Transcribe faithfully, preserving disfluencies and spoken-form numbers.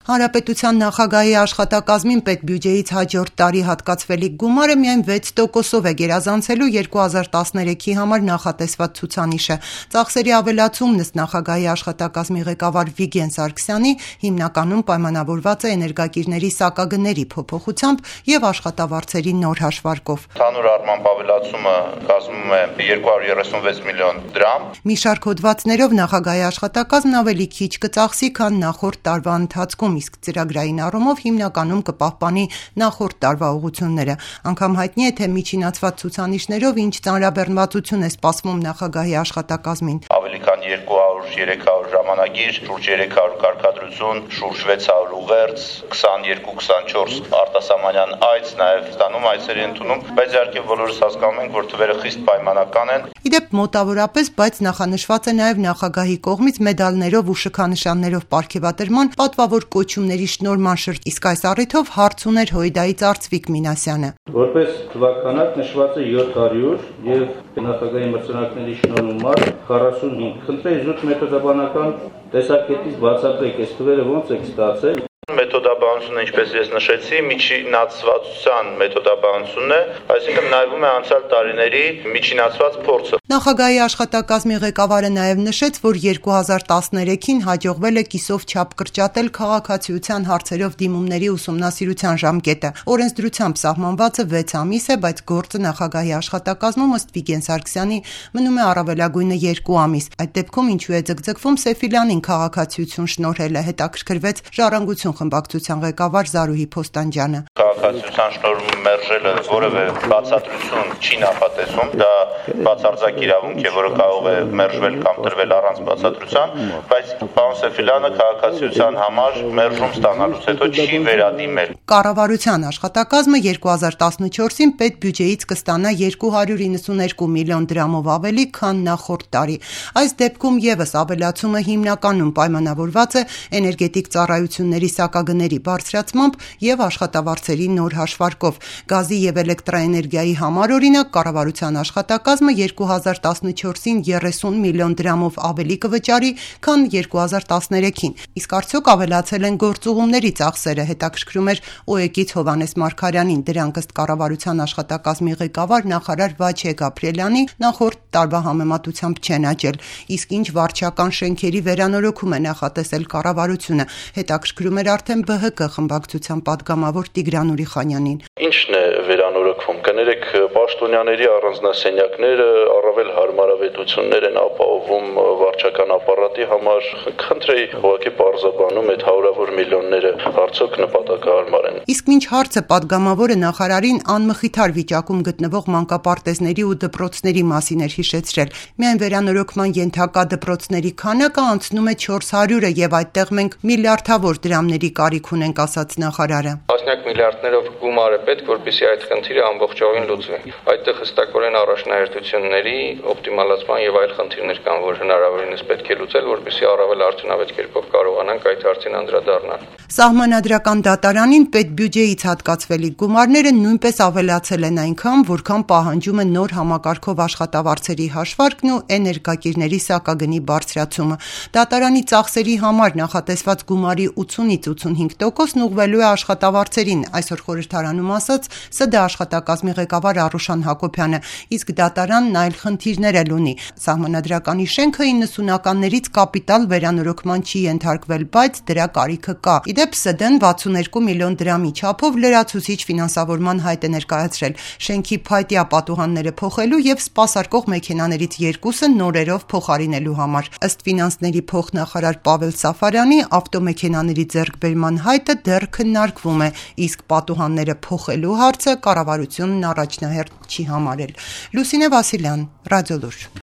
Հանրապետության նախագահի աշխատակազմին պետբյուջեից հաջորդ տարի հատկացվելիք գումարը միայն վեց տոկոսով է գերազանցելու երկու հազար տասներեքի համար նախատեսված ցուցանիշը։ Ծախսերի ավելացումն ըստ նախագահի աշխատակազմի ղեկավար Վիգեն Սարգսյանի հիմնականում պայմանավորված է էներգակիրների սակագների փոփոխությամբ եւ աշխատավարձերի նոր հաշվարկով։ Ընդհանուր առմամբ ավելացումը կազմում է երկու հարյուր երեսունվեց միլիոն դրամ։ Մի շարք հոդվածներով նախագահի աշխատակազմն ավելի քիչ կծախսի, քան նախորդ տարվա ընթացքում, իսկ ծրագրային առումով հիմնականում կպահպանի նախորդ տարվա ուղղությունները։ Անգամ հայտնի է, թե միջինացված ցուցանիշներով ինչ ծանրաբեռնվածություն է սպասվում նախագահի աշխատակազմին։ Ավելի քան երկու հարյուր երեք հարյուր ժամանագիր, շուրջ երեք հարյուր կարգադրություն, շուրջ վեց հարյուր ուղերձ, քսաներկու քսանչորս արտասահմանյան այց, նաև ստանում այցերի ընդունում, բայց իհարկե բոլորս հասկանում ենք, որ թվերը խիստ պայմանական են։ Իդեպ մոտավորապես, բայց նախանշված է նաև նախագահի կողմից մեդալներով ու շքանշաններով պարգևատրման պատվավոր կոչումների շնորհման շրթ, իսկ այս առիթով հարց ուներ Հույդայից Արծվիկ Մինասյանը։ Որպես թվականակ նշված է յոթ հարյուր եւ նախագահի մրցանակների շնորհումար քառասունհինգ։ Խնդրեի զուտ մեթոդաբանական տեսակետից բացատրեք, այս թվերը ոնց է ստացել։ Մեթոդաբանությունը, ինչպես ես նշեցի, միջինացվածության մեթոդաբանությունն է, այսինքն նայվում է անցյալ տարիների միջինացված փորձը։ Նախագահի աշխատակազմի ղեկավարը նաև նշեց, որ երկու հազար տասներեքին հաջողվել է կիսով չափ կրճատել քաղաքացիության հարցերով դիմումների ուսումնասիրության ժամկետը։ Օրենսդրությամբ սահմանվածը վեց ամիս է, բայց գործը նախագահի աշխատակազմում ըստ Վիգեն Սարգսյանի մնում է առավելագույնը երկու ամիս։ Այդ դեպքում ինչու է ձգձգվում Սեֆիլյանին քաղաքացիություն շնորհելը, հետաքրքրվեց Ժառանգություն խմբակցության ղեկավար Զարուհի Փոստանջյանը։ Քաղաքացիության շնորհում մերժելը որևէ բացատրություն չի նախատեսում, դա բացարձակ իրավունք է, որը կարող է մերժվել կամ տրվել առանց բացատրության, բայց պարոն Սեֆիլյանը քաղաքացիության համար մերժում ստանալուց հետո չի վերադիմել։ Կառավարության աշխատակազմը երկու հազար տասնչորսին պետբյուջեից կստանա երկու հարյուր իննսուներկու միլիոն դրամով ավելի, քան նախորդ տարի։ Այս դեպքում եւս ավելացումը հիմնականում պայմանավորված է էներգետիկ ծառայությունների սակագների բարձրացմամբ եւ աշխատավարձերի նոր հաշվարկով։ Գազի եւ էլեկտրաէներգիայի համար օրինակ կառավարության աշխատակազմը երկու հազար տասնչորսին երեսուն միլիոն դրամով ավելի կվճարի, քան երկու հազար տասներեքին։ Իսկ արդյոք ավելացել են գործուղումների ծախսերը, հետաքրքրում էր ՕԵԿ-ից Հովհաննես Մարգարյանին։ Դրանք ըստ կառավարության աշխատակազմի ղեկավար նախարար Վաչե Գաբրիելյանի նախորդ տարվա համեմատությամբ չեն աճել։ Իսկ ինչ վարչական շենքերի վերանորոգում է նախատեսել կառավարությունը, հետաքրքրում էր արդեն ԲՀԿ խմբակցության падգամավոր Տիգրան Ուրիխանյանին։ Ինչն է վերանորոգվում։ Կներեք, պաշտոնյաների առանձնասենյակները առավել հարմարավետություններ են ապահովում վարչական ապարատի համար։ Խնդրեի ուղղակի պարզաբանում այդ հարյուրավոր միլիոնները արդյոք նպատակահարմար են։ Իսկ մինչ հարցը падգամավորը նախարարին անմխիթար վիճակում գտնվող մանկապարտեզների ու դպրոցների մասին էր հիշեցրել։ Միայն վերանորոգման ենթակա դպրոցների քանակը անցնում է չորս հարյուրը եւ այդտեղ մենք միլիարդավոր դրամների կարիք ունենք, ասաց նախարարը։ Տասնյակ միլիարդներով գումար է պետք, որպեսզի այդ խնդիրը ամբողջովին լուծվի։ Այդտեղ հստակորեն առաջնահերթությունների օպտիմալացման եւ այլ խնդիրներ կան, որ հնարավորինս պետք է լուծել, որպեսզի առավել արդյունավետ կերպով կարողանանք այդ հարցին անդրադառնալ։ Սահմանադրական դատարանին պետբյուջեից հատկացվելիք գումարները նույնպես ավելացել են այնքան, որքան պահանջում է նոր համակարգով աշխատավարձերի հաշվարկն ու էներգակիրների սակագնի բարձրացումը։ Դատարանի ծախսերի համար նախատեսված գումարի ութսունից ութսունհինգ տոկոսն ուղղվելու է աշխատավարձերին, այսօր խորհրդարանում ասաց ՍԴ աշխատակազմի ղեկավար Արուշան Հակոբյանը, իսկ դատարանն այլ խնդիրներ էլ ունի։ Սահմանադրականի շենքը իննսունականներից կապիտալ վերանորոգման չի ենթարկվել, բայց դրա կարիքը կա։ Իդեպ ՍԴ-ն վաթսուններկու միլիոն դրամի չափով լրացուցիչ ֆինանսավորման հայտ է ներկայացրել շենքի փայտյա պատուհանները փոխելու եւ սպասարկող մեքենաներից երկուսը նորերով փոխարինելու համար։ Ըստ ֆինանսների փոխնախարար Պավել Սաֆարյանի ավտոմեքենաների ձեռքբերման հայտը դեռ քննարկվում է, իսկ պատուհանները փոխելու հարցը կառավարությունն առաջնահերթ չի համարել։ Լուսինե Վասիլյան, Ռադիոլուր։